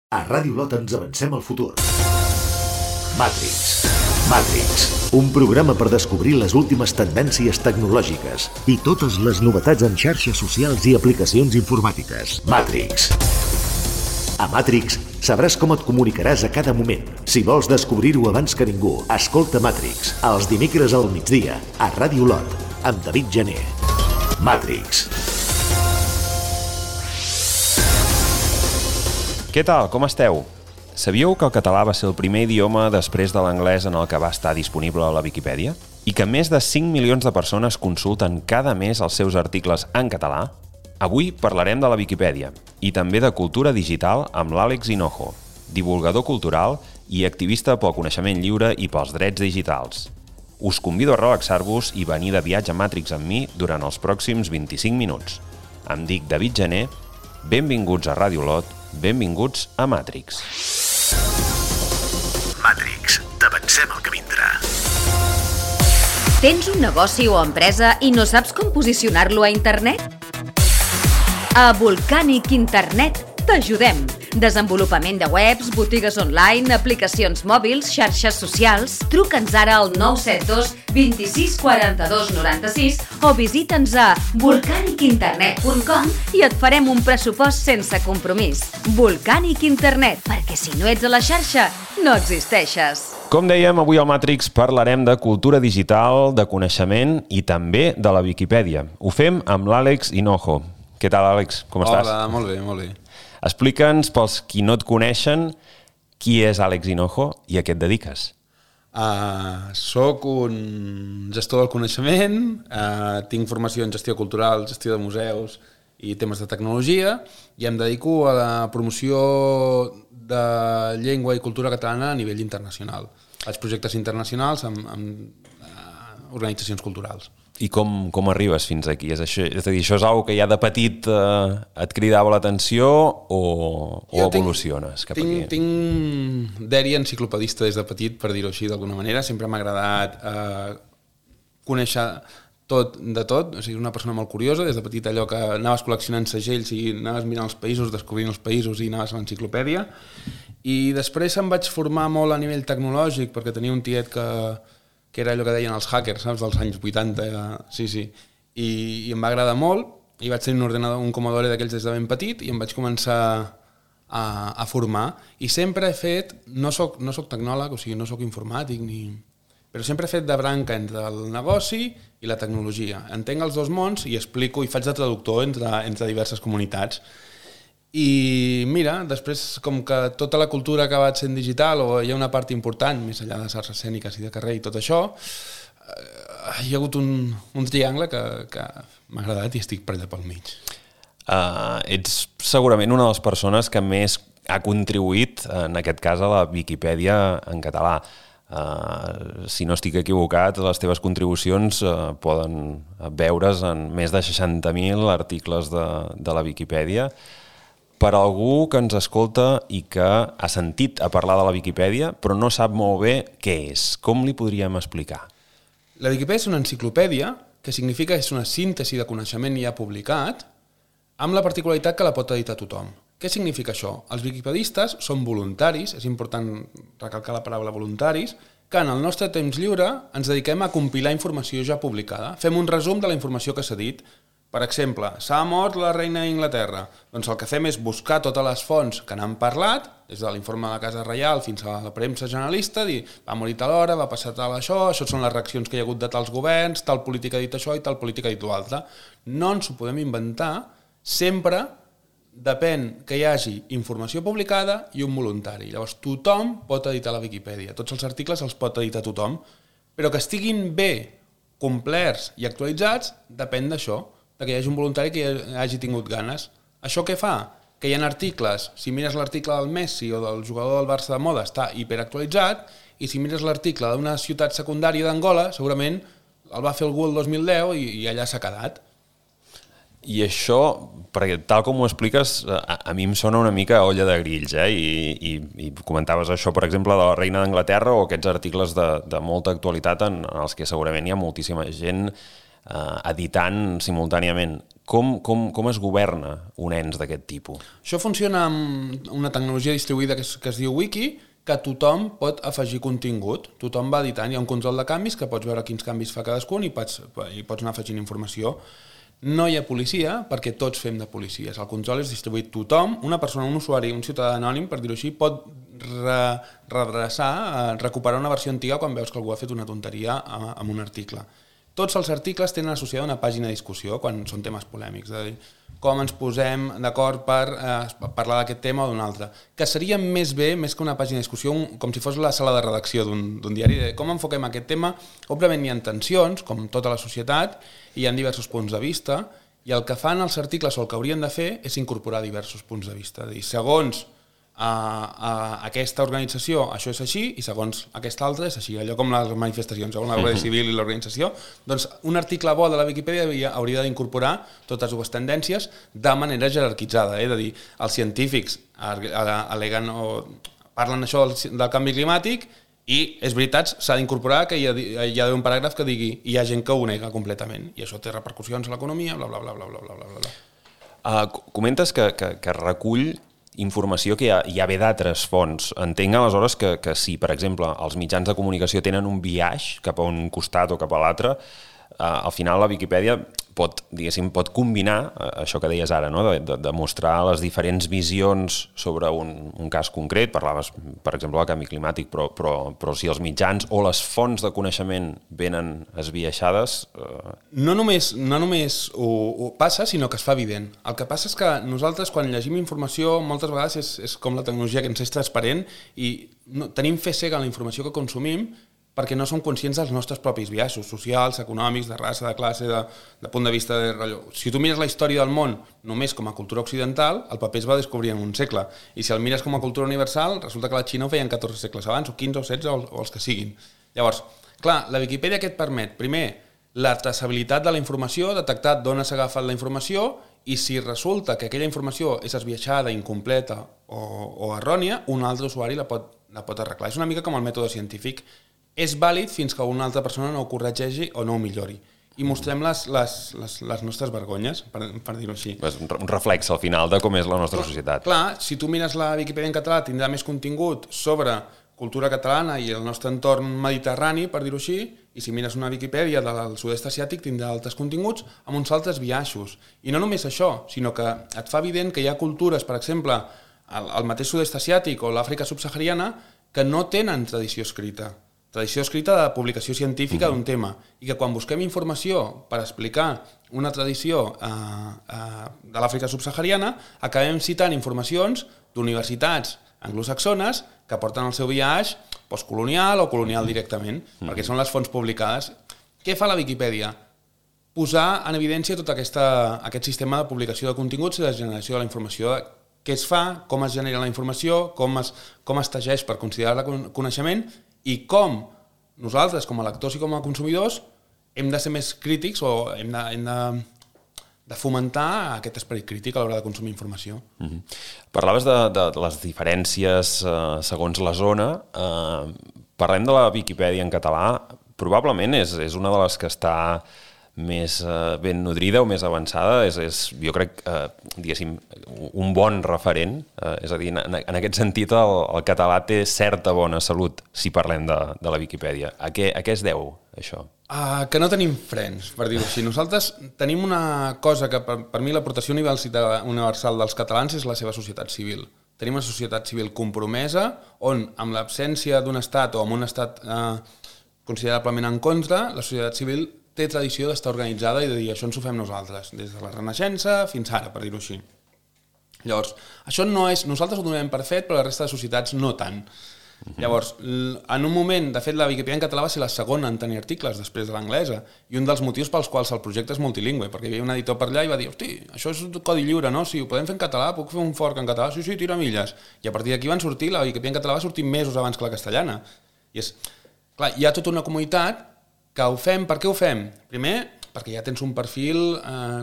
A Ràdio Lot ens avancem al futur. Matrix, un programa per descobrir les últimes tendències tecnològiques i totes les novetats en xarxes socials i aplicacions informàtiques. Matrix. A Matrix sabràs com et comunicaràs a cada moment. Si vols descobrir-ho abans que ningú, escolta Matrix, els dimecres al migdia, a Ràdio Lot, amb David Gené. Matrix. Què tal, com esteu? Sabíeu que el català va ser el primer idioma després de l'anglès en el que va estar disponible a la Viquipèdia? I que més de 5 milions de persones consulten cada mes els seus articles en català? Avui parlarem de la Viquipèdia i també de cultura digital amb l'Àlex Hinojo, divulgador cultural i activista pel coneixement lliure i pels drets digitals. Us convido a relaxar-vos i venir de viatge a Matrix amb mi durant els pròxims 25 minuts. Em dic David Gené, benvinguts a Ràdio Lot, benvinguts a Matrix. Matrix, t'avancem el que vindrà. Tens un negoci o empresa i no saps com posicionar-lo a internet? A Volcanic Internet t'ajudem. Desenvolupament de webs, botigues online, aplicacions mòbils, xarxes socials. Truca'ns ara al 972 26 42 96 o visita'ns a volcanicinternet.com i et farem un pressupost sense compromís. Volcanic Internet, perquè si no ets a la xarxa, no existeixes. Com dèiem, avui al Matrix parlarem de cultura digital, de coneixement i també de la Viquipèdia. Ho fem amb l'Àlex Hinojo. Què tal, Àlex? Com estàs? Hola, molt bé, molt bé. Explica'ns, pels qui no et coneixen, qui és Àlex Hinojo i a què et dediques. Soc un gestor del coneixement, tinc formació en gestió cultural, gestió de museus i temes de tecnologia i em dedico a la promoció de llengua i cultura catalana a nivell internacional. Faig projectes internacionals amb organitzacions culturals. I com arribes fins aquí? És a dir, això és una que ja de petit et cridava l'atenció o evoluciones cap aquí? Tinc dèria enciclopedista des de petit, per dir-ho així d'alguna manera. Sempre m'ha agradat conèixer tot de tot. O sigui, una persona molt curiosa. Des de petit allò que anaves col·leccionant segells i anaves mirant els països, descobrint els països i anaves a l'enciclopèdia. I després em vaig formar molt a nivell tecnològic perquè tenia un tiet que era allò que deien els hackers, saps, dels anys 80, sí. I em va agradar molt i vaig tenir un ordinador, un Commodore d'aquells des de ben petit i em vaig començar a formar. I sempre he fet, no soc tecnòleg, o sigui, no soc informàtic, però sempre he fet de branca entre el negoci i la tecnologia. Entenc els dos mons i explico i faig de traductor entre diverses comunitats. I mira, després com que tota la cultura ha acabat sent digital o hi ha una part important, més enllà de les arts escèniques i de carrer i tot això, hi ha hagut un triangle que m'ha agradat i estic per allà pel mig. Ets segurament una de les persones que més ha contribuït, en aquest cas, a la Viquipèdia en català. Si no estic equivocat, les teves contribucions poden veure's en més de 60.000 articles de la Viquipèdia. Per algú que ens escolta i que ha sentit a parlar de la Viquipèdia però no sap molt bé què és, com li podríem explicar? La Viquipèdia és una enciclopèdia, que significa que és una síntesi de coneixement ja publicat, amb la particularitat que la pot editar tothom. Què significa això? Els viquipedistes són voluntaris, és important recalcar la paraula voluntaris, que en el nostre temps lliure ens dediquem a compilar informació ja publicada. Fem un resum de la informació que s'ha dit. Per exemple, s'ha mort la reina d'Inglaterra. Doncs el que fem és buscar totes les fonts que n'han parlat, des de l'informe de la Casa Reial fins a la premsa generalista, dir va morir tal hora, va passar tal això són les reaccions que hi ha hagut de tals governs, tal política ha dit això i tal política ha dit l'altre. No ens ho podem inventar, sempre depèn que hi hagi informació publicada i un voluntari. Llavors tothom pot editar la Viquipèdia, tots els articles els pot editar tothom, però que estiguin bé, complerts i actualitzats depèn d'això, que hi hagi un voluntari que hagi tingut ganes. Això què fa? Que hi ha articles, si mires l'article del Messi o del jugador del Barça de moda està hiperactualitzat, i si mires l'article d'una ciutat secundària d'Angola, segurament el va fer algú el 2010 i allà s'ha quedat. I això, perquè tal com ho expliques, a mi em sona una mica olla de grills, i comentaves això, per exemple, de la reina d'Anglaterra o aquests articles de molta actualitat en els que segurament hi ha moltíssima gent editant simultàniament. com es governa un ens d'aquest tipus? Això funciona amb una tecnologia distribuïda que es diu Wiki, que tothom pot afegir contingut. Tothom va editant, hi ha un control de canvis que pots veure quins canvis fa cadascun i pots anar afegint informació. No hi ha policia perquè tots fem de policies. El control és distribuït. Tothom, una persona, un usuari, un ciutadà anònim, per dir-ho així, pot redreçar, recuperar una versió antiga quan veus que algú ha fet una tonteria amb un article. Tots els articles tenen associada una pàgina de discussió quan són temes polèmics, és a dir, com ens posem d'acord per parlar d'aquest tema o d'un altre. Que seria més bé, més que una pàgina de discussió, com si fos la sala de redacció d'un diari, de com enfoquem aquest tema. Òbviament hi ha tensions, com tota la societat, i hi ha diversos punts de vista, i el que fan els articles o el que haurien de fer és incorporar diversos punts de vista. És a dir, segons aquesta organització això és així i segons aquesta altra és així, allò com les manifestacions, segons la Guàrdia Civil i l'organització, doncs un article bo de la Viquipèdia hauria d'incorporar totes dues tendències de manera jerarquitzada, és a dir, els científics aleguen o parlen això del canvi climàtic i és veritat, s'ha d'incorporar que hi ha d'haver un paràgraf que digui i hi ha gent que ho nega completament i això té repercussions a l'economia, bla bla bla bla bla bla bla. Comentes que recull informació que ja ve d'altres fonts. Entenc aleshores que si, per exemple, els mitjans de comunicació tenen un biaix cap a un costat o cap a l'altre, al final la Viquipèdia pot combinar això que deies ara, no? de mostrar les diferents visions sobre un cas concret. Parlaves, per exemple, del canvi climàtic, però si els mitjans o les fonts de coneixement venen esbiaixades... No només ho passa, sinó que es fa evident. El que passa és que nosaltres, quan llegim informació, moltes vegades és com la tecnologia que ens és transparent i tenim fe cega en la informació que consumim perquè no som conscients dels nostres propis biaixos socials, econòmics, de raça, de classe, de punt de vista de rellò. Si tu mires la història del món només com a cultura occidental, el paper es va descobrir en un segle. I si el mires com a cultura universal, resulta que la Xina ho feien 14 segles abans, o 15 o 16, o els que siguin. Llavors, clar, la Viquipèdia què et permet? Primer, la traçabilitat de la informació, detectar d'on s'ha agafat la informació, i si resulta que aquella informació és esbiaixada, incompleta o errònia, un altre usuari la pot arreglar. És una mica com el mètode científic. És vàlid fins que una altra persona no ho corregeixi o no ho millori. I mostrem les nostres vergonyes, per dir-ho així. És un reflex, al final, de com és la nostra societat. Clar, si tu mires la Viquipèdia en català, tindrà més contingut sobre cultura catalana i el nostre entorn mediterrani, per dir-ho així, i si mires una Viquipèdia del sud-est asiàtic, tindrà altres continguts amb uns altres biaixos. I no només això, sinó que et fa evident que hi ha cultures, per exemple, el mateix sud-est asiàtic o l'Àfrica subsahariana, que no tenen tradició escrita de publicació científica d'un tema, i que quan busquem informació per explicar una tradició de l'Àfrica subsahariana, acabem citant informacions d'universitats anglosaxones que porten el seu biaix postcolonial o colonial directament, perquè són les fonts publicades. Què fa la Viquipèdia? Posar en evidència tot aquest sistema de publicació de continguts i de generació de la informació, què es fa, com es genera la informació, com es teixeix per considerar-la coneixement, i com nosaltres, com a lectors i com a consumidors, hem de ser més crítics o hem de fomentar aquest esperit crític a l'hora de consumir informació. Parlaves de les diferències segons la zona. Parlem de la Viquipèdia en català. Probablement és una de les que està més ben nodrida o més avançada, jo crec, diguéssim, un bon referent. És a dir, en aquest sentit, el català té certa bona salut, si parlem de la Viquipèdia. A què es deu, això? Que no tenim frens, per dir-ho així. Nosaltres tenim una cosa que, per mi, l'aportació universal dels catalans és la seva societat civil. Tenim una societat civil compromesa, on, amb l'absència d'un estat o amb un estat considerablement en contra, la societat civil té tradició d'estar organitzada i de dir això ens ho fem nosaltres, des de la Renaixença fins ara, per dir-ho així. Llavors, això no és... Nosaltres ho donem per fet, però la resta de societats no tant. Llavors, en un moment, de fet, la Viquipèdia en català va ser la segona en tenir articles després de l'anglesa, i un dels motius pels quals el projecte és multilingüe, perquè hi havia un editor per allà i va dir, hosti, això és codi lliure, no? Si ho podem fer en català, puc fer un fork en català? Sí, tira milles. I a partir d'aquí van sortir, la Viquipèdia en català va sortir mesos abans que la castellana. I és... Clar, hi ha tota una comunitat que ho fem. Per què ho fem? Primer, perquè ja tens un perfil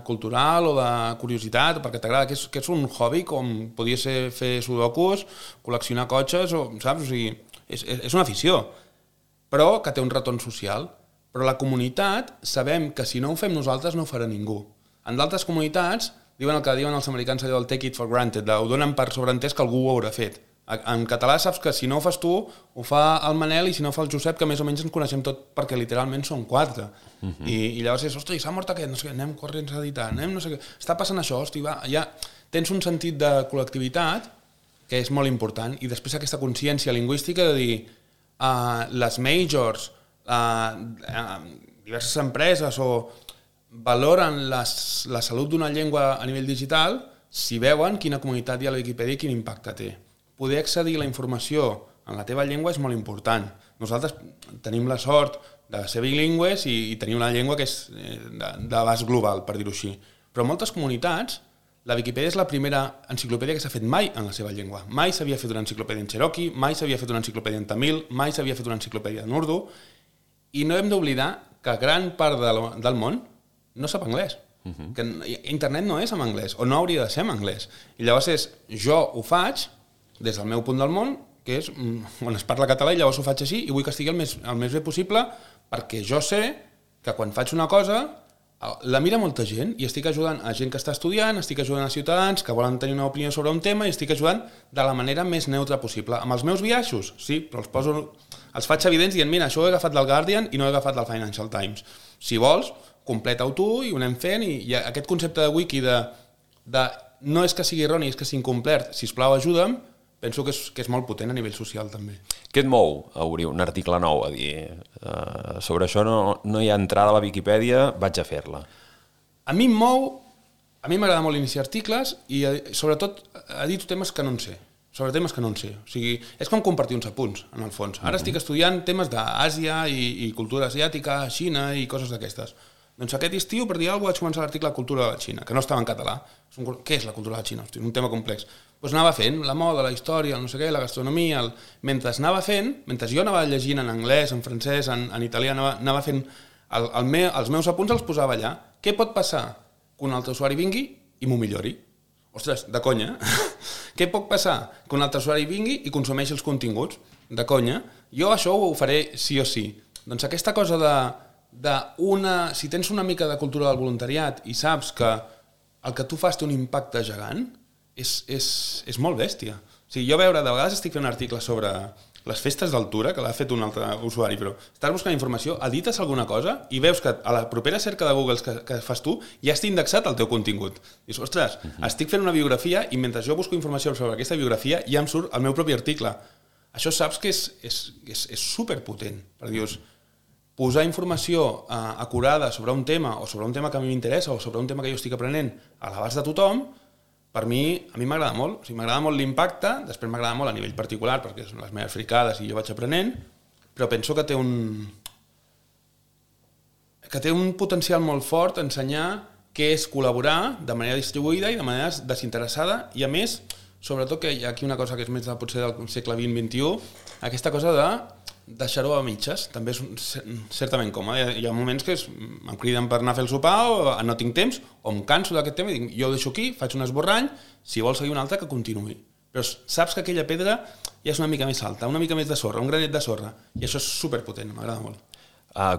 cultural o de curiositat, o perquè t'agrada, que és un hobby, com podia ser fer sudokus, col·leccionar cotxes, o, saps? O sigui, és una afició, però que té un retorn social. Però la comunitat sabem que si no ho fem nosaltres no ho farà ningú. En d'altres comunitats diuen el que diuen els americans, allò del take it for granted, ho donen per sobreentès que algú ho haurà fet. En català saps que si no ho fas tu, ho fa el Manel, i si no ho fa el Josep, que més o menys ens coneixem tot perquè literalment són 4. I llavors és, ostres, s'ha mort aquest, no sé què, anem corrents a editar, anem no sé què, està passant això, hosti, va, ja tens un sentit de col·lectivitat que és molt important, i després aquesta consciència lingüística de dir les majors, diverses empreses valoren la salut d'una llengua a nivell digital si veuen quina comunitat hi ha a la Viquipèdia i quin impacte té. Poder accedir a la informació en la teva llengua és molt important. Nosaltres tenim la sort de ser bilingües i tenir una llengua que és d'abast global, per dir-ho així. Però en moltes comunitats la Viquipèdia és la primera enciclopèdia que s'ha fet mai en la seva llengua. Mai s'havia fet una enciclopèdia en cherokee, mai s'havia fet una enciclopèdia en tamil, mai s'havia fet una enciclopèdia en urdu, i no hem d'oblidar que gran part del món no sap anglès. Que internet no és en anglès, o no hauria de ser en anglès. I llavors jo ho faig des del meu punt del món, que és on es parla català, i llavors ho faig així, i vull que estigui el més bé possible, perquè jo sé que quan faig una cosa la mira molta gent, i estic ajudant a gent que està estudiant, estic ajudant a ciutadans que volen tenir una opinió sobre un tema, i estic ajudant de la manera més neutra possible. Amb els meus biaixos, sí, però els faig evidents dient, mira, això ho he agafat del Guardian i no ho he agafat del Financial Times. Si vols, completa-ho tu i ho anem fent, i aquest concepte de wiki de no és que sigui erroni, és que sigui incomplert, sisplau ajuda'm, penso que és molt potent a nivell social també. Què et mou a obrir un article nou, a dir sobre això no hi ha entrada a la Viquipèdia, vaig a fer-la? A mi m'agrada molt iniciar articles i sobretot edito temes que no en sé. Sobre temes que no en sé. O sigui, és com compartir uns apunts, en el fons. Ara estic estudiant temes d'Àsia i cultura asiàtica, Xina i coses d'aquestes. Doncs aquest estiu, per dir alguna cosa, vaig començar l'article Cultura de la Xina, que no estava en català. Què és la cultura de la Xina? Hosti, un tema complex. Doncs anava fent la moda, la història, el no sé què, la gastronomia. Mentre anava fent, mentre jo anava llegint en anglès, en francès, en italià, anava fent els meus apunts, els posava allà. Què pot passar? Que un altre usuari vingui i m'ho millori. Ostres, de conya. Què pot passar? Que un altre usuari vingui i consumeixi els continguts. De conya. Jo això ho faré sí o sí. Doncs aquesta cosa si tens una mica de cultura del voluntariat i saps que el que tu fas té un impacte gegant, és molt bèstia. O sigui, jo de vegades estic fent un article sobre les festes d'altura, que l'ha fet un altre usuari, però estàs buscant informació, edites alguna cosa i veus que a la propera cerca de Google que fas tu ja està indexat el teu contingut. Dius, ostres, estic fent una biografia i mentre jo busco informació sobre aquesta biografia ja em surt el meu propi article. Això saps que és superpotent, perquè dius, posar informació acurada sobre un tema o sobre un tema que a mi m'interessa o sobre un tema que jo estic aprenent a l'abast de tothom, a mi m'agrada molt. O sigui, m'agrada molt l'impacte, després m'agrada molt a nivell particular perquè són les meves fricades i jo vaig aprenent, però penso que té un potencial molt fort ensenyar què és col·laborar de manera distribuïda i de manera desinteressada, i a més, sobretot que hi ha aquí una cosa que és més potser del segle XX-XXI, aquesta cosa de deixar-ho a mitges, també és certament còmode. Hi ha moments que em criden per anar a fer el sopar o no tinc temps, o em canso d'aquest tema i dic, jo ho deixo aquí, faig un esborrany, si vols seguir un altre que continuï. Però saps que aquella pedra ja és una mica més alta, una mica més de sorra, un granet de sorra, i això és superpotent, m'agrada molt.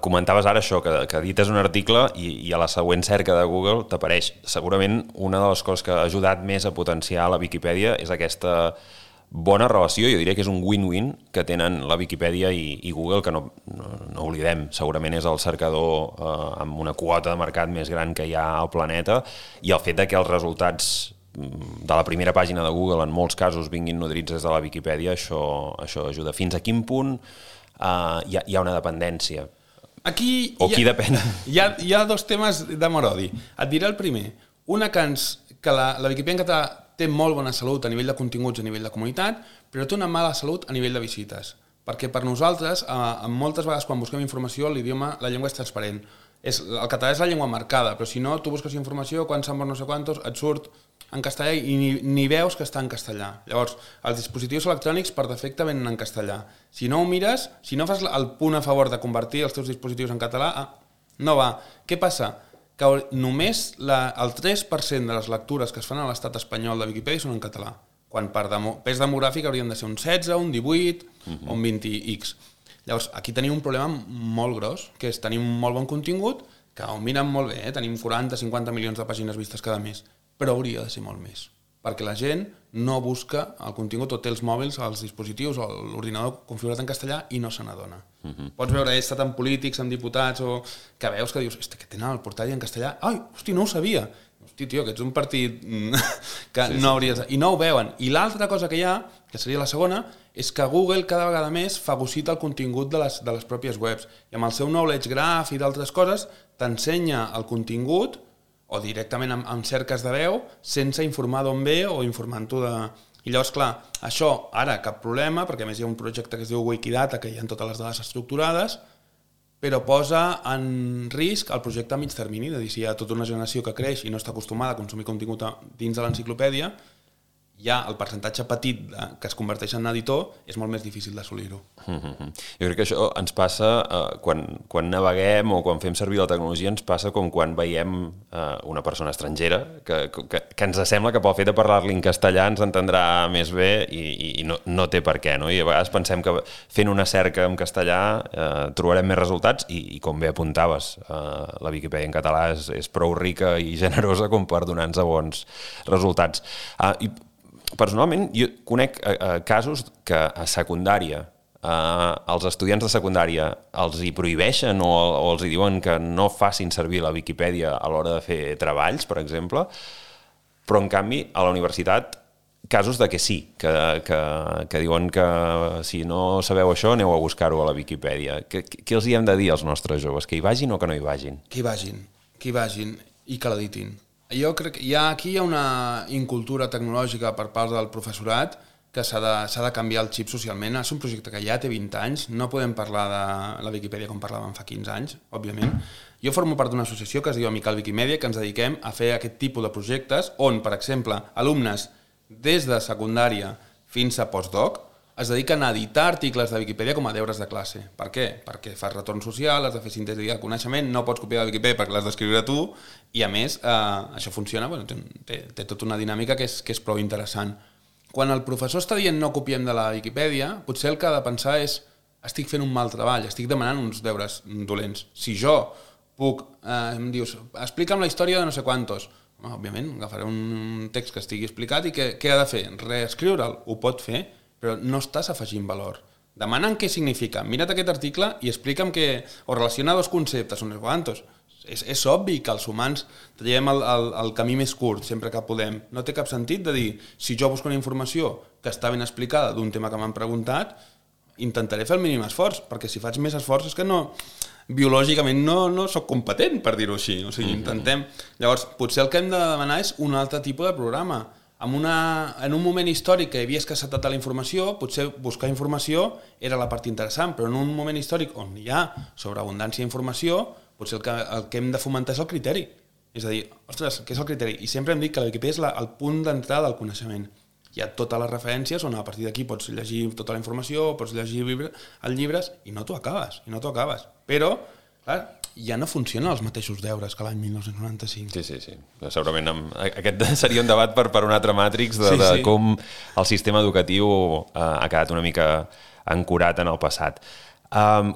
Comentaves ara això, que edites un article i a la següent cerca de Google t'apareix. Segurament una de les coses que ha ajudat més a potenciar la Viquipèdia és aquesta bona relació, jo diria que és un win-win que tenen la Viquipèdia i Google, que no oblidem, segurament és el cercador amb una quota de mercat més gran que hi ha al planeta, i el fet de que els resultats de la primera pàgina de Google en molts casos vinguin nodrits des de la Viquipèdia, això ajuda. Fins a quin punt hi ha una dependència? O qui depèn? Hi ha dos temes d'amor-odi. Et diré el primer. Una que la Viquipèdia en català té molt bona salut a nivell de continguts, a nivell de comunitat, però té una mala salut a nivell de visites. Perquè per nosaltres, moltes vegades quan busquem informació, la llengua és transparent. El català és la llengua marcada, però si no, tu busques informació, quan s'han mort no sé quantos, et surt en castellà i ni veus que està en castellà. Llavors, els dispositius electrònics per defecte venen en castellà. Si no ho mires, si no fas el punt a favor de convertir els teus dispositius en català, no va. Què passa? Que només el 3% de les lectures que es fan a l'estat espanyol de Viquipèdia són en català, quan per pes demogràfic haurien de ser un 16, un 18 o un 20x. Llavors, aquí tenim un problema molt gros, que és tenir un molt bon contingut que ho miren molt bé, tenim 40-50 milions de pàgines vistes cada mes, però hauria de ser molt més, perquè la gent no busca el contingut o té els mòbils, els dispositius o l'ordinador configurat en castellà i no se n'adona. Pots veure, he estat amb polítics, amb diputats, o que veus que dius, que tenen el portàil en castellà, ai, hosti, no ho sabia. Hosti, tio, que ets un partit que no hauries... I no ho veuen. I l'altra cosa que hi ha, que seria la segona, és que Google cada vegada més fagocita el contingut de les pròpies webs. I amb el seu knowledge graph i d'altres coses t'ensenya el contingut o directament amb cerques de veu sense informar d'on ve o informant-ho de... I llavors, clar, això ara cap problema, perquè a més hi ha un projecte que es diu Wikidata, que hi ha totes les dades estructurades, però posa en risc el projecte a mig termini, de dir, si hi ha tota una generació que creix i no està acostumada a consumir contingut dins de l'enciclopèdia, ja el percentatge petit que es converteix en editor és molt més difícil d'assolir-ho. Jo crec que això ens passa quan naveguem o quan fem servir la tecnologia, ens passa com quan veiem una persona estrangera que ens sembla que pel fet de parlar-li en castellà ens entendrà més bé i no té per què, no? I a vegades pensem que fent una cerca en castellà trobarem més resultats i com bé apuntaves, la Viquipèdia en català és prou rica i generosa com per donar-nos bons resultats. Personalment, jo conec casos que a secundària, els estudiants de secundària els hi prohibeixen o els hi diuen que no facin servir la Viquipèdia a l'hora de fer treballs, per exemple, però en canvi a la universitat casos de que sí, que diuen que si no sabeu això aneu a buscar-ho a la Viquipèdia. Què els hi hem de dir als nostres joves? Que hi vagin o que no hi vagin? Que hi vagin i que l'editin. Jo crec que aquí hi ha una incultura tecnològica per part del professorat que s'ha de canviar el xip socialment. És un projecte que ja té 20 anys, no podem parlar de la Viquipèdia com parlàvem fa 15 anys, òbviament. Jo formo part d'una associació que es diu Amical Wikimèdia, que ens dediquem a fer aquest tipus de projectes on, per exemple, alumnes des de secundària fins a postdoc es dediquen a editar articles de Viquipèdia com a deures de classe. Per què? Perquè fas retorn social, has de fer síntesi de coneixement, no pots copiar de Viquipèdia perquè l'has d'escriure tu, i a més, això funciona, té tota una dinàmica que és prou interessant. Quan el professor està dient no copiem de la Viquipèdia, potser el que ha de pensar és estic fent un mal treball, estic demanant uns deures dolents. Si jo puc, em dius, explica'm la història de no sé quantos, òbviament, agafaré un text que estigui explicat i què ha de fer? Reescriure'l, ho pot fer, però no estàs afegint valor. Demana'm què significa. Mira't aquest article i explica'm o relaciona dos conceptes, uns quantos. És obvi que els humans traiem el camí més curt sempre que podem. No té cap sentit de dir, si jo busco una informació que està ben explicada d'un tema que m'han preguntat, intentaré fer el mínim esforç, perquè si faig més esforç és que biològicament no soc competent, per dir-ho així. O sigui, intentem. Llavors, potser el que hem de demanar és un altre tipus de programa. En un moment històric que hi havia escassetat de la informació, potser buscar informació era la part interessant, però en un moment històric on hi ha sobreabundància d'informació, potser el que hem de fomentar és el criteri. És a dir, ostres, què és el criteri? I sempre hem dit que la Viquipèdia és el punt d'entrada del coneixement. Hi ha totes les referències on a partir d'aquí pots llegir tota la informació, pots llegir els llibres i no t'ho acabes. Però, clar, ja no funcionen els mateixos deures que l'any 1995. Sí. Segurament aquest seria un debat per un altre Matrix de com el sistema educatiu ha quedat una mica ancorat en el passat.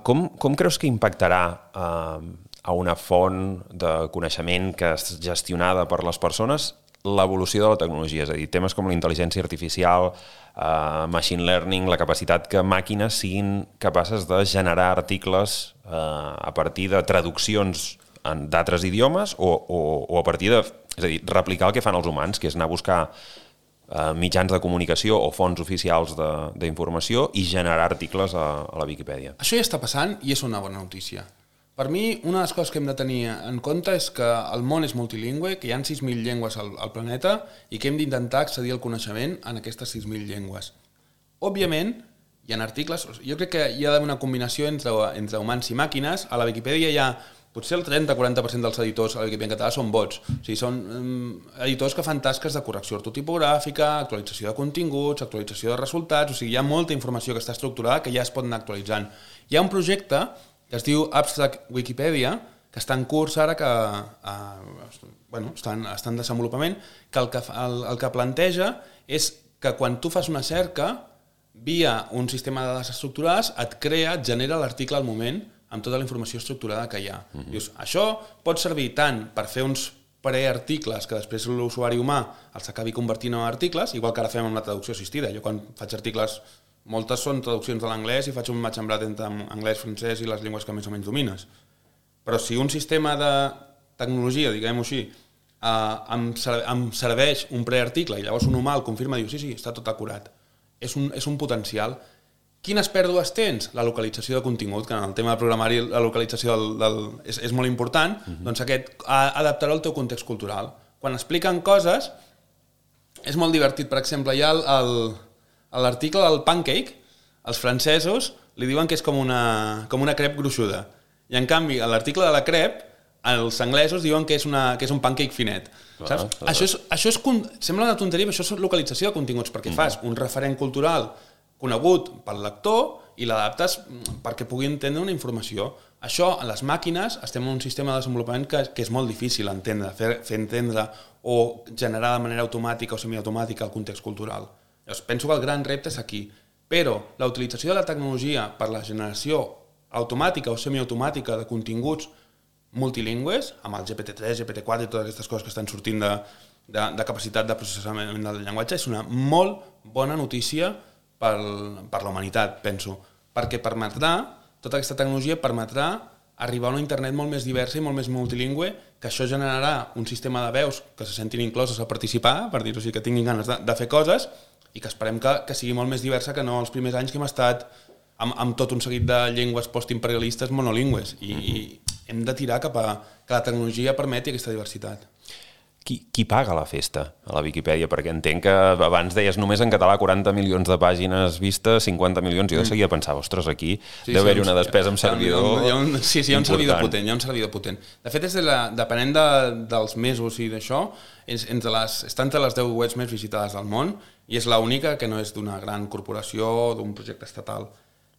Com creus que impactarà a una font de coneixement que és gestionada per les persones l'evolució de la tecnologia? És a dir, temes com la intel·ligència artificial, machine learning, la capacitat que màquines siguin capaces de generar articles a partir de traduccions d'altres idiomes o a partir de, és a dir, replicar el que fan els humans, que és anar a buscar mitjans de comunicació o fonts oficials d'informació i generar articles a la Viquipèdia. Això ja està passant i és una bona notícia. Per mi, una de les coses que hem de tenir en compte és que el món és multilingüe, que hi ha 6.000 llengües al planeta i que hem d'intentar accedir al coneixement en aquestes 6.000 llengües. Òbviament, hi ha articles... Jo crec que hi ha d'haver una combinació entre humans i màquines. A la Viquipèdia hi ha potser el 30-40% dels editors a la Viquipèdia en català són bots. O sigui, són editors que fan tasques de correcció ortotipogràfica, actualització de continguts, actualització de resultats... O sigui, hi ha molta informació que està estructurada que ja es pot anar actualitzant. Hi ha un projecte que es diu Abstract Wikipedia, que està en curs ara, que està en desenvolupament, que el que planteja és que quan tu fas una cerca, via un sistema de dades estructurades, et genera l'article al moment amb tota la informació estructurada que hi ha. Dius, això pot servir tant per fer uns prearticles que després l'usuari humà els acabi convertint en articles, igual que ara fem amb la traducció assistida. Jo quan faig articles, moltes són traduccions de l'anglès i faig un match and blend entre anglès, francès i les llengües que més o menys domines. Però si un sistema de tecnologia, diguem-ho així, em serveix un prearticle i llavors un humà el confirma i diu sí, està tot acurat. És un potencial. Quines pèrdues tens? La localització de contingut, que en el tema de programari la localització és molt important, doncs aquest adaptarà al teu context cultural. Quan expliquen coses, és molt divertit. Per exemple, hi ha l'article del pancake, els francesos li diuen que és com una crep gruixuda. I en canvi, a l'article de la crep, els anglesos diuen que és un pancake finet. Saps? Això sembla una tonteria, però això és localització de continguts, perquè fas un referent cultural conegut pel lector i l'adaptes perquè pugui entendre una informació. Això, a les màquines, estem en un sistema de desenvolupament que és molt difícil entendre, fer entendre o generar de manera automàtica o semiautomàtica el context cultural. Llavors, penso que el gran repte és aquí. Però la utilització de la tecnologia per la generació automàtica o semiautomàtica de continguts multilingües, amb el GPT-3, GPT-4 i totes aquestes coses que estan sortint de capacitat de processament del llenguatge, és una molt bona notícia per la humanitat, penso, perquè tota aquesta tecnologia permetrà arribar a una internet molt més diversa i molt més multilingüe, que això generarà un sistema de veus que se sentin incloses a participar, per dir-ho així, que tinguin ganes de fer coses, i que esperem que sigui molt més diversa que no els primers anys que hem estat amb tot un seguit de llengües postimperialistes monolingües, i hem de tirar cap a que la tecnologia permeti aquesta diversitat. Qui paga la festa a la Viquipèdia? Perquè entenc que abans deies només en català 40 milions de pàgines vistes, 50 milions, i jo de seguida pensava, ostres, aquí deu haver-hi una despesa amb servidor important. Sí, hi ha un servidor potent. De fet, depenent dels mesos i d'això, està entre les 10 webs més visitades del món i és l'única que no és d'una gran corporació o d'un projecte estatal.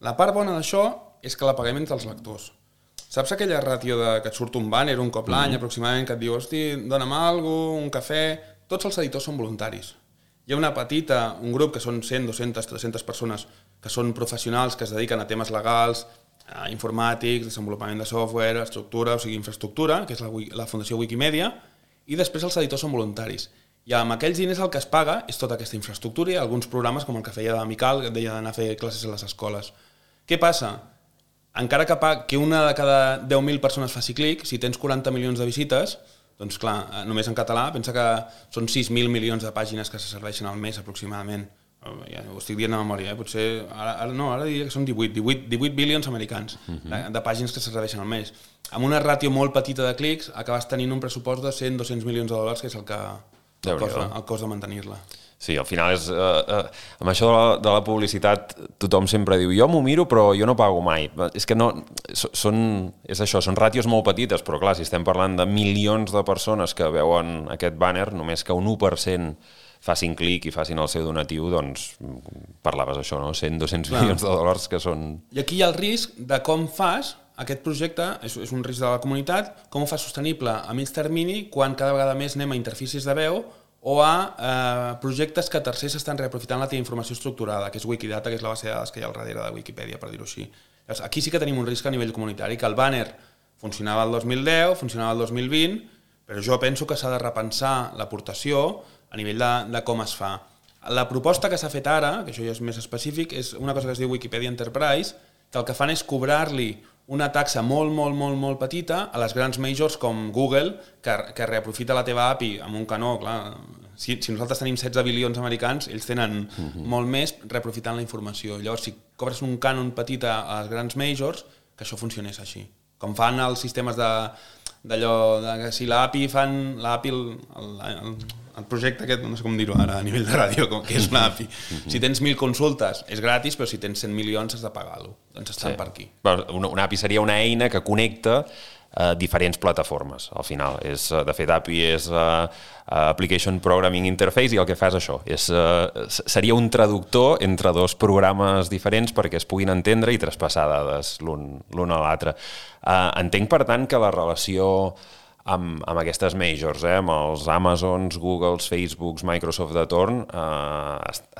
La part bona d'això és que la paguem entre els lectors. Saps aquella ràtio que et surt un banner un cop l'any aproximadament que et diu, hosti, dona'm alguna cosa, un cafè... Tots els editors són voluntaris. Hi ha un grup que són 100, 200, 300 persones que són professionals, que es dediquen a temes legals, informàtics, desenvolupament de software, estructura, o sigui, infraestructura, que és la Fundació Wikimedia, i després els editors són voluntaris. I amb aquells diners el que es paga és tota aquesta infraestructura i alguns programes com el que feia d'Amical, que deia d'anar a fer classes a les escoles. Què passa? Encara que una de cada 10.000 persones faci clic, si tens 40 milions de visites, doncs clar, només en català, pensa que són 6.000 milions de pàgines que se serveixen al mes aproximadament. Ja ho estic dient de memòria, potser... Ara diria que són 18 bilions americans de pàgines que se serveixen al mes. Amb una ràtio molt petita de clics acabes tenint un pressupost de 100-200 milions de dòlars, que és el cost de mantenir-la. Sí, al final amb això de la publicitat tothom sempre diu jo m'ho miro però jo no pago mai. És que no, és això, són ràtios molt petites, però clar, si estem parlant de milions de persones que veuen aquest banner, només que un 1% facin clic i facin el seu donatiu, doncs parlaves això, no? 100-200 milions de dòlars que són... I aquí hi ha el risc de com fas aquest projecte, és un risc de la comunitat, com ho fas sostenible a mig termini quan cada vegada més anem a interfícies de veu o a projectes que tercers estan reaprofitant la teva informació estructurada, que és Wikidata, que és la base de dades que hi ha al darrere de Wikipedia, per dir-ho així. Aquí sí que tenim un risc a nivell comunitari, que el banner funcionava el 2010, funcionava el 2020, però jo penso que s'ha de repensar l'aportació a nivell de com es fa. La proposta que s'ha fet ara, que això ja és més específic, és una cosa que es diu Wikipedia Enterprise, que el que fan és cobrar-li una taxa molt petita a les grans majors com Google, que reaprofita la teva API amb un canó, clar, si nosaltres tenim 16 bilions americans, ells tenen molt més reaprofitant la informació. Llavors, si cobres un cànon petit a les grans majors, que això funcionés així. Com fan els sistemes d'allò, que si l'API fan el projecte aquest, no sé com dir-ho ara a nivell de ràdio, que és una API. Si tens 1.000 consultes és gratis, però si tens 100 milions has de pagar-lo. Doncs estan per aquí. Una API seria una eina que connecta diferents plataformes, al final. De fet, API és Application Programming Interface i el que fa és això. Seria un traductor entre dos programes diferents perquè es puguin entendre i traspassar dades l'un a l'altre. Entenc, per tant, que la relació amb aquestes majors, amb els Amazons, Googles, Facebooks, Microsoft de torn,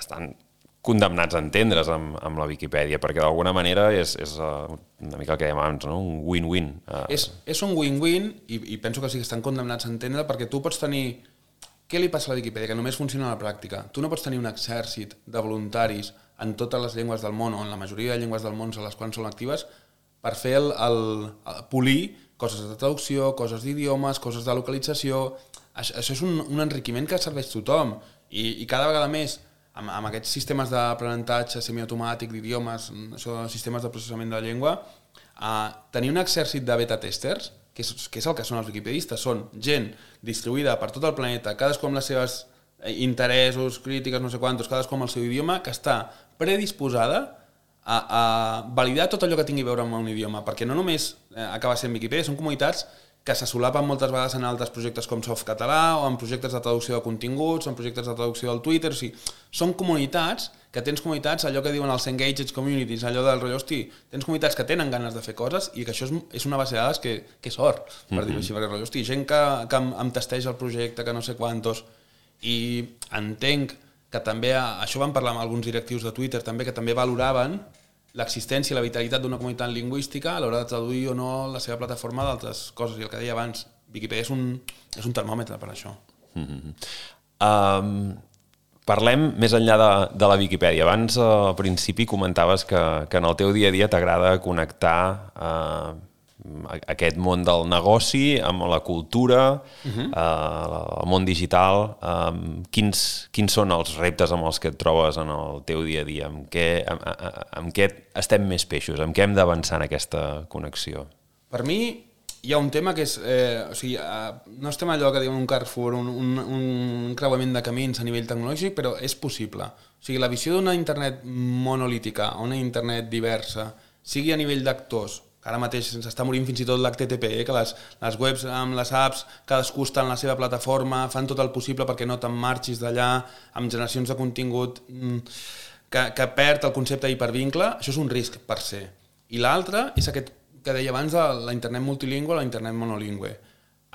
estan condemnats a entendre's amb la Viquipèdia, perquè d'alguna manera és una mica el que dèiem abans, no? Un win-win. És un win-win i penso que sí que estan condemnats a entendre, perquè tu pots tenir... Què li passa a la Viquipèdia? Que només funciona a la pràctica. Tu no pots tenir un exèrcit de voluntaris en totes les llengües del món, o en la majoria de llengües del món a les quals són actives, per fer polir coses de traducció, coses d'idiomes, coses de localització... Això és un enriquiment que serveix a tothom i cada vegada més amb aquests sistemes d'aprenentatge semiautomàtic d'idiomes, sistemes de processament de la llengua, tenir un exèrcit de beta-testers, que és el que són els wikipedistes, són gent distribuïda per tot el planeta, cadascú amb les seves interessos, crítiques, no sé quantos, cadascú amb el seu idioma, que està predisposada a validar tot allò que tingui a veure amb un idioma, perquè no només acaba sent Viquipèdia, són comunitats que se solapen moltes vegades en altres projectes com Softcatalà o en projectes de traducció de continguts, en projectes de traducció del Twitter, o sigui, són comunitats, allò que diuen els engaged communities, allò del rotllo, hosti, tens comunitats que tenen ganes de fer coses i que això és una base de dades que és or, per dir-ho així, perquè rotllo, hosti, gent que em testeja el projecte, que no sé quantos, i entenc que també, això vam parlar amb alguns directius de Twitter també, que també valoraven l'existència i la vitalitat d'una comunitat lingüística a l'hora de traduir o no la seva plataforma d'altres coses. I el que deia abans, Viquipèdia és un termòmetre per això. Parlem més enllà de la Viquipèdia. Abans, al principi, comentaves que en el teu dia a dia t'agrada connectar aquest món del negoci amb la cultura, el món digital. Quins són els reptes amb els que et trobes en el teu dia a dia? Amb què estem més peixos? Amb què hem d'avançar en aquesta connexió? Per mi hi ha un tema que és... no estem allò que diuen un Carrefour, un creuament de camins a nivell tecnològic, però és possible. O sigui, la visió d'una internet monolítica, una internet diversa, sigui a nivell d'actors, ara mateix s'està morint fins i tot l'HTTP, que les webs amb les apps, cadascú està en la seva plataforma, fan tot el possible perquè no te'n marxis d'allà, amb generacions de contingut que perd el concepte d'hipervincle. Això és un risc per se. I l'altre és aquest que deia abans de la internet multilingüe o la internet monolingüe.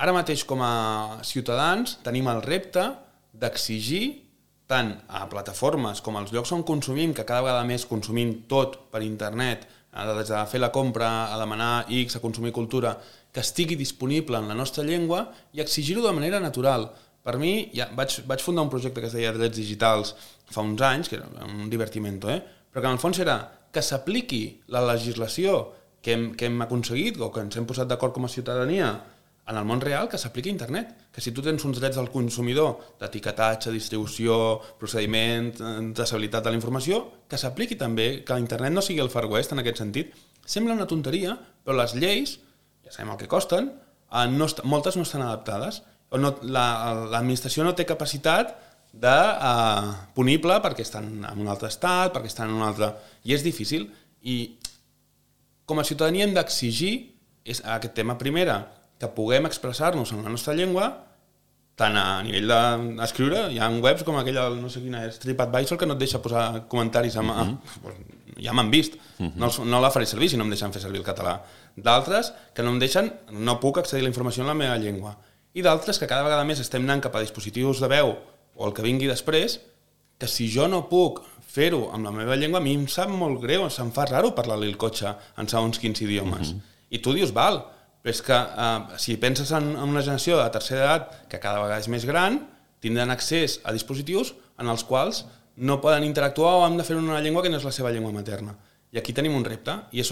Ara mateix com a ciutadans tenim el repte d'exigir tant a plataformes com als llocs on consumim, que cada vegada més consumim tot per internet, des de fer la compra, a demanar X, a consumir cultura, que estigui disponible en la nostra llengua i exigir-ho de manera natural. Per mi, vaig fundar un projecte que es deia Drets Digitals fa uns anys, que era un divertimento, però que en el fons era que s'apliqui la legislació que hem aconseguit o que ens hem posat d'acord com a ciutadania en el món real, que s'apliqui a internet. Que si tu tens uns drets del consumidor, d'etiquetatge, distribució, procediment, traçabilitat de la informació, que s'apliqui també, que internet no sigui el Far West en aquest sentit. Sembla una tonteria, però les lleis, ja sabem el que costen, moltes no estan adaptades. L'administració no té capacitat punible perquè estan en un altre estat, perquè estan en un altre... I és difícil. I com a ciutadania hem d'exigir aquest tema. Primera, que puguem expressar-nos en la nostra llengua, tant a nivell d'escriure, hi ha webs com aquella, no sé quina és, TripAdvisor, que no et deixa posar comentaris, ja m'han vist, no la faré servir si no em deixen fer servir el català. D'altres que no em deixen, no puc accedir a la informació en la meva llengua. I d'altres que cada vegada més estem anant cap a dispositius de veu o el que vingui després, que si jo no puc fer-ho amb la meva llengua, a mi em sap molt greu, se'm fa raro parlar-li el cotxe en segons quins idiomes. I tu dius, val, però és que si penses en una generació de tercera edat que cada vegada és més gran, tindran accés a dispositius en els quals no poden interactuar o han de fer una llengua que no és la seva llengua materna. I aquí tenim un repte. I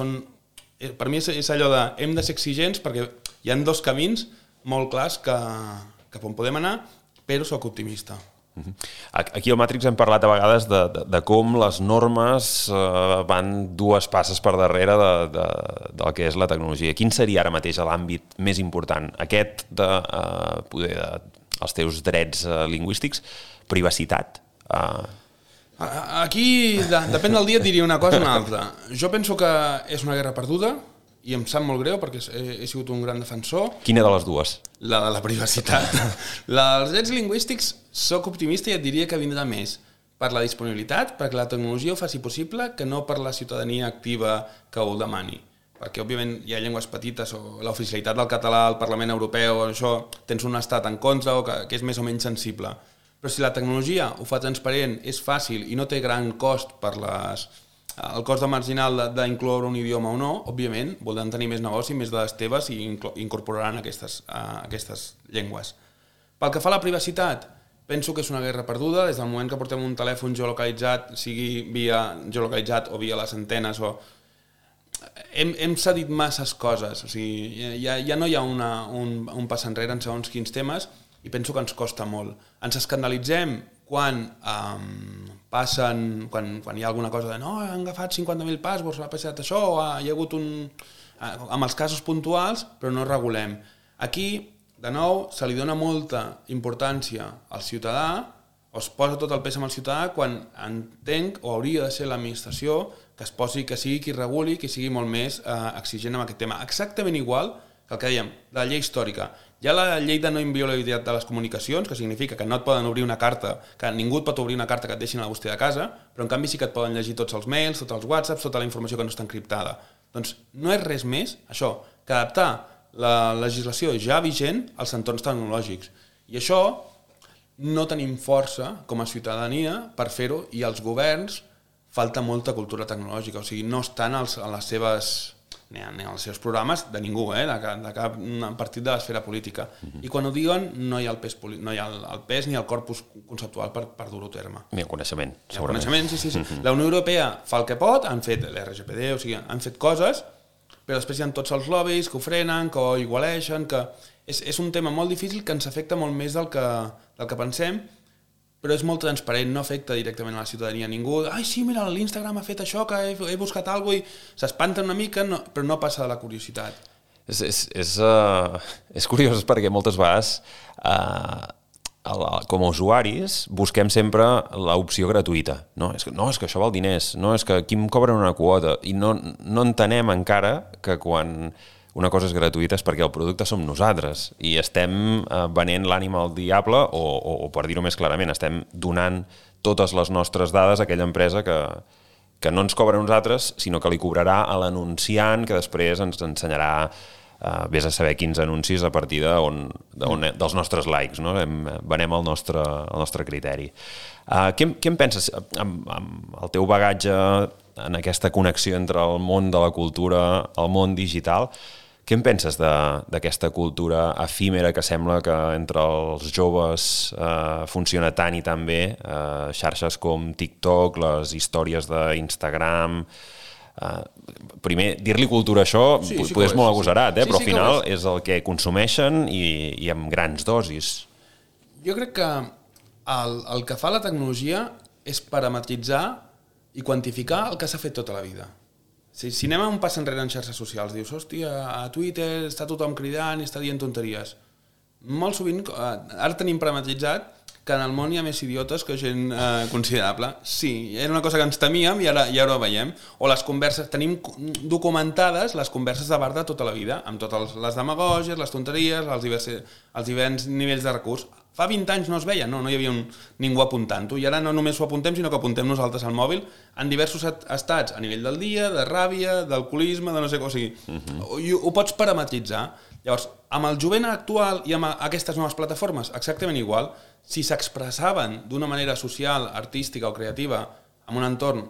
per mi és allò de hem de ser exigents perquè hi ha dos camins molt clars cap on podem anar, però soc optimista. Aquí al Matrix hem parlat a vegades de com les normes van dues passes per darrere del que és la tecnologia. Quin seria ara mateix l'àmbit més important? Aquest els teus drets lingüístics? Privacitat? Aquí, depèn del dia, et diria una cosa o una altra. Jo penso que és una guerra perduda i em sap molt greu perquè he sigut un gran defensor. Quina de les dues? La de la privacitat. La dels drets lingüístics soc optimista i et diria que vindrà més per la disponibilitat, perquè la tecnologia ho faci possible, que no per la ciutadania activa que ho demani. Perquè, òbviament, hi ha llengües petites o l'oficialitat del català al Parlament Europeu, això tens un estat en contra o que és més o menys sensible. Però si la tecnologia ho fa transparent, és fàcil i no té gran cost per el cost de marginal d'incloure un idioma o no, òbviament, voldran tenir més negoci, més de les teves i incorporaran aquestes llengües. Pel que fa a la privacitat, penso que és una guerra perduda, des del moment que portem un telèfon geolocalitzat, sigui via geolocalitzat o via les antenes, hem cedit masses coses, o sigui, ja no hi ha un pas enrere en segons quins temes i penso que ens costa molt. Ens escandalitzem quan hi ha alguna cosa de no, han agafat 50.000 passwords, ha passat això, o hi ha hagut amb els casos puntuals, però no regulem. Aquí, de nou, se li dona molta importància al ciutadà, o es posa tot el pes amb el ciutadà quan entenc, o hauria de ser l'administració, que sigui qui reguli, qui sigui molt més exigent amb aquest tema. Exactament igual que el que dèiem, la llei històrica. Hi ha la llei de no inviolabilitat de les comunicacions, que significa que no et poden obrir una carta, que ningú et pot obrir una carta que et deixin a la bústia de casa, però en canvi sí que et poden llegir tots els mails, tots els whatsapps, tota la informació que no està encriptada. Doncs no és res més, això, que adaptar la legislació ja vigent als entorns tecnològics. I això no tenim força com a ciutadania per fer-ho i als governs falta molta cultura tecnològica, o sigui, no estan a les seves... ni als seus programes de ningú, de cap partit de l'esfera política. I quan ho diuen no hi ha el pes ni el corpus conceptual per dur-ho a terme. Ni el coneixement, segurament. El coneixement, sí. La Unió Europea fa el que pot, han fet l'RGPD, o sigui, han fet coses, però després hi ha tots els lobbies que ho frenen, que ho igualeixen, que és un tema molt difícil que ens afecta molt més del que pensem, però és molt transparent, no afecta directament a la ciutadania. Ningú, sí, mira, l'Instagram ha fet això, que he buscat alguna cosa, i s'espanten una mica, però no passa de la curiositat. És curiós perquè moltes vegades, com a usuaris, busquem sempre l'opció gratuïta. No, és que això val diners, no, és que aquí em cobren una quota, i no entenem encara que quan una cosa és gratuïta és perquè el producte som nosaltres i estem venent l'ànima al diable o per dir-ho més clarament, estem donant totes les nostres dades a aquella empresa que no ens cobra a nosaltres, sinó que li cobrarà a l'anunciant que després ens ensenyarà vés a saber quins anuncis a partir dels nostres likes, no? Venem el nostre criteri. Què en penses amb el teu bagatge en aquesta connexió entre el món de la cultura, el món digital? Què en penses d'aquesta cultura efímera que sembla que entre els joves funciona tant i tan bé? Xarxes com TikTok, les històries d'Instagram... Primer, dir-li cultura a això potser és molt agosarat, però al final és el que consumeixen i amb grans dosis. Jo crec que el que fa la tecnologia és parametritzar i quantificar el que s'ha fet tota la vida. Si anem a un pas enrere en xarxes socials, dius, hòstia, a Twitter està tothom cridant i està dient tonteries. Molt sovint, ara tenim parametritzat que en el món hi ha més idiotes que gent considerable. Sí, era una cosa que ens temíem i ara ho veiem. O les converses, tenim documentades les converses de bar de tota la vida, amb totes les demagògies, les tonteries, els diversos nivells de recurs. Fa 20 anys no es veia, no hi havia ningú apuntant-ho, i ara no només ho apuntem, sinó que apuntem nosaltres al mòbil en diversos estats, a nivell del dia, de ràbia, d'alcoholisme, de no sé què, o sigui, ho pots parametritzar. Llavors, amb el jovent actual i amb aquestes noves plataformes, exactament igual, si s'expressaven d'una manera social, artística o creativa en un entorn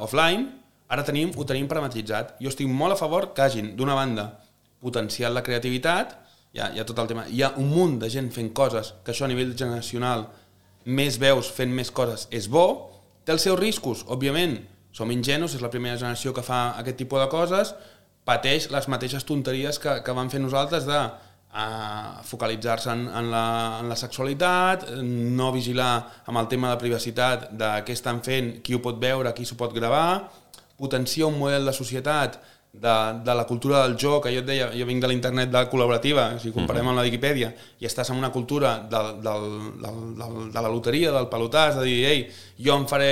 offline, ara ho tenim parametritzat. Jo estic molt a favor que hagin, d'una banda, potenciat la creativitat. Hi ha tot el tema. Hi ha un munt de gent fent coses que això a nivell generacional, més veus fent més coses, és bo. Té els seus riscos, òbviament. Som ingenus, és la primera generació que fa aquest tipus de coses, pateix les mateixes tonteries que van fer nosaltres de focalitzar-se en la sexualitat, no vigilar amb el tema de privacitat de què estan fent, qui ho pot veure, qui s'ho pot gravar, potenciar un model de societat de la cultura del joc, que jo et deia, jo vinc de l'internet col·laborativa, si comparem amb la Viquipèdia, i estàs en una cultura de la loteria, del pelotàs, de dir, ei, jo em faré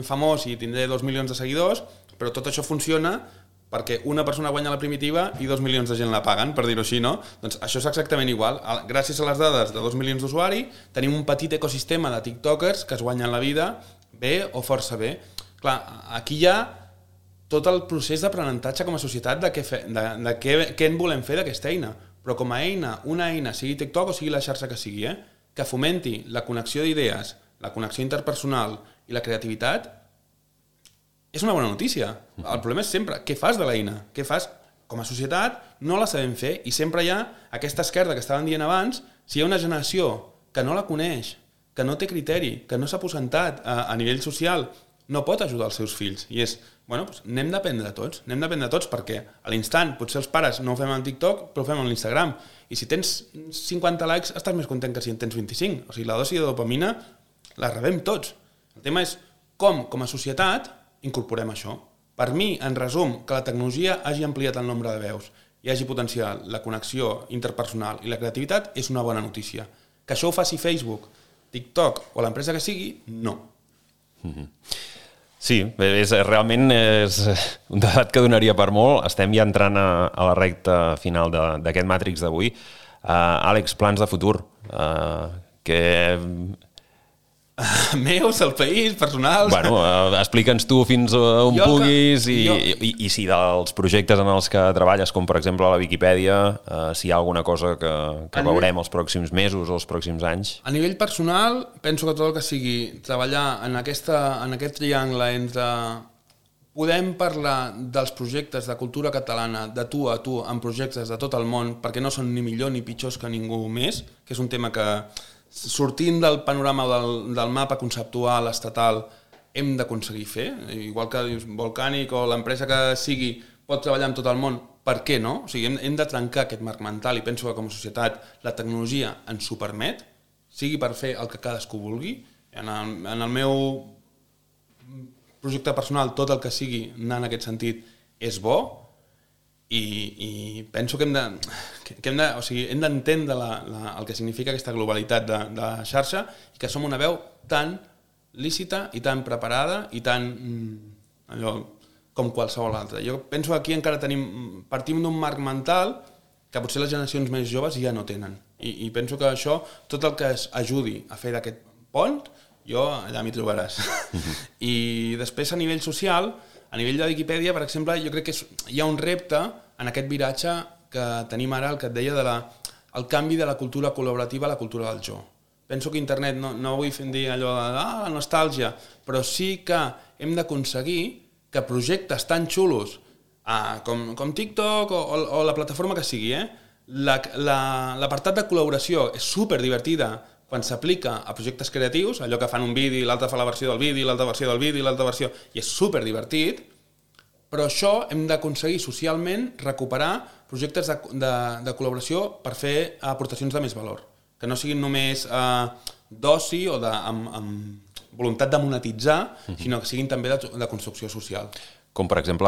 famós i tindré 2 milions de seguidors, però tot això funciona perquè una persona guanya la primitiva i 2 milions de gent la paguen, per dir-ho així, no? Doncs això és exactament igual. Gràcies a les dades de 2 milions d'usuaris, tenim un petit ecosistema de tiktokers que es guanyen la vida bé o força bé. Clar, aquí hi ha tot el procés d'aprenentatge com a societat de què en volem fer d'aquesta eina. Però com a eina, una eina, sigui TikTok o sigui la xarxa que sigui, que fomenti la connexió d'idees, la connexió interpersonal i la creativitat, és una bona notícia. El problema és sempre què fas de l'eina, què fas. Com a societat no la sabem fer i sempre hi ha aquesta esquerda que estàvem dient abans, si hi ha una generació que no la coneix, que no té criteri, que no s'ha aposentat a nivell social, no pot ajudar els seus fills. I és, bueno, doncs n'hem d'aprendre tots perquè a l'instant, potser els pares no ho fem en TikTok, però ho fem en l'Instagram. I si tens 50 likes, estàs més content que si en tens 25. O sigui, la dosi de dopamina la rebem tots. El tema és com a societat, incorporem això. Per mi, en resum, que la tecnologia hagi ampliat el nombre de veus i hagi potenciat la connexió interpersonal i la creativitat és una bona notícia. Que això ho faci Facebook, TikTok o l'empresa que sigui, no. Sí, realment és un debat que donaria per molt. Estem ja entrant a la recta final d'aquest Matrix d'avui. Àlex, plans de futur? Meus, el país, personals... Bueno, explica'ns tu fins on puguis i si dels projectes en els que treballes, com per exemple la Viquipèdia, si hi ha alguna cosa que veurem els pròxims mesos o els pròxims anys. A nivell personal, penso que tot el que sigui treballar en aquest triangle entre... Podem parlar dels projectes de cultura catalana de tu a tu en projectes de tot el món perquè no són ni millor ni pitjors que ningú més, que és un tema que... Sortint del panorama del mapa conceptual estatal hem d'aconseguir fer, igual que Volcànic o l'empresa que sigui pot treballar amb tot el món, per què no? O sigui, hem de trencar aquest marc mental i penso que com a societat la tecnologia ens ho permet, sigui per fer el que cadascú vulgui. En el meu projecte personal tot el que sigui anar en aquest sentit és bo i penso que hem d'entendre el que significa aquesta globalitat de xarxa i que som una veu tan lícita i tan preparada i tan com qualsevol altra. Jo penso que aquí encara partim d'un marc mental que potser les generacions més joves ja no tenen i penso que això, tot el que es ajudi a fer d'aquest pont, jo allà m'hi trobaràs. I després a nivell social, a nivell de Viquipèdia, per exemple, jo crec que hi ha un repte en aquest viratge que tenim ara, el que et deia el canvi de la cultura col·laborativa a la cultura del jo. Penso que internet, no vull dir allò de la nostàlgia, però sí que hem d'aconseguir que projectes tan xulos com TikTok o la plataforma que sigui, l'apartat de col·laboració és superdivertida quan s'aplica a projectes creatius, allò que fan un vídeo, l'altre fa la versió del vídeo, l'altra versió del vídeo, l'altra versió... I és superdivertit, però això hem d'aconseguir socialment recuperar projectes de col·laboració per fer aportacions de més valor, que no siguin només d'oci o amb voluntat de monetitzar, sinó que siguin també de construcció social. Com, per exemple,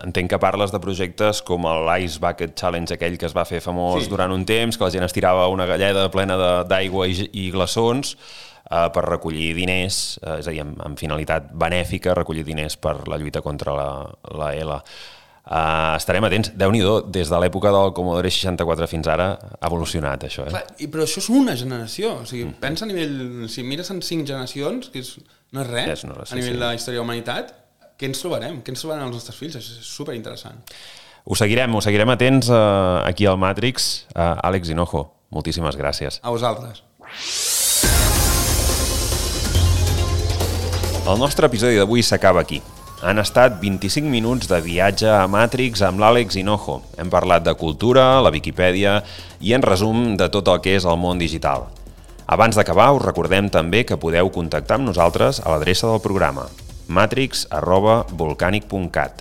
entenc que parles de projectes com l'Ice Bucket Challenge, aquell que es va fer famós durant un temps, que la gent estirava una galleda plena d'aigua i glaçons per recollir diners, és a dir, amb finalitat benèfica, recollir diners per la lluita contra la ELA. Estarem atents. Déu-n'hi-do, des de l'època del Commodore 64 fins ara ha evolucionat això. Clar, però això és una generació. O sigui, pensa a nivell... Si mires en 5 generacions, que no és res a nivell de la història de la humanitat, què ens trobarem? Què ens trobaran els nostres fills? És superinteressant. Ho seguirem atents aquí al Matrix. Àlex Hinojo, moltíssimes gràcies. A vosaltres. El nostre episodi d'avui s'acaba aquí. Han estat 25 minuts de viatge a Matrix amb l'Àlex Hinojo. Hem parlat de cultura, la Viquipèdia i, en resum, de tot el que és el món digital. Abans d'acabar, us recordem també que podeu contactar amb nosaltres a l'adreça del programa matrix@volcanic.cat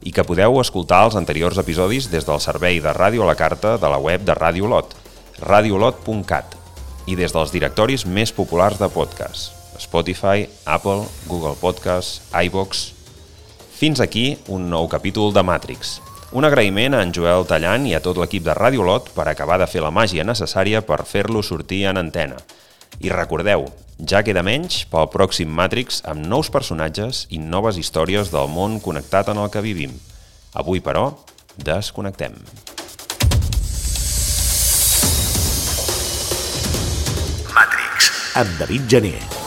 i que podeu escoltar els anteriors episodis des del servei de ràdio a la carta de la web de Radio Lot, radiolot.cat, i des dels directoris més populars de podcast, Spotify, Apple, Google Podcasts, iVoox. Fins aquí un nou capítol de Matrix. Un agraïment a en Joel Tallant i a tot l'equip de Radio Lot per acabar de fer la màgia necessària per fer-lo sortir en antena. I recordeu, ja queda menys pel pròxim Matrix amb nous personatges i noves històries del món connectat en el que vivim. Avui, però, desconnectem. Matrix, amb David Gené.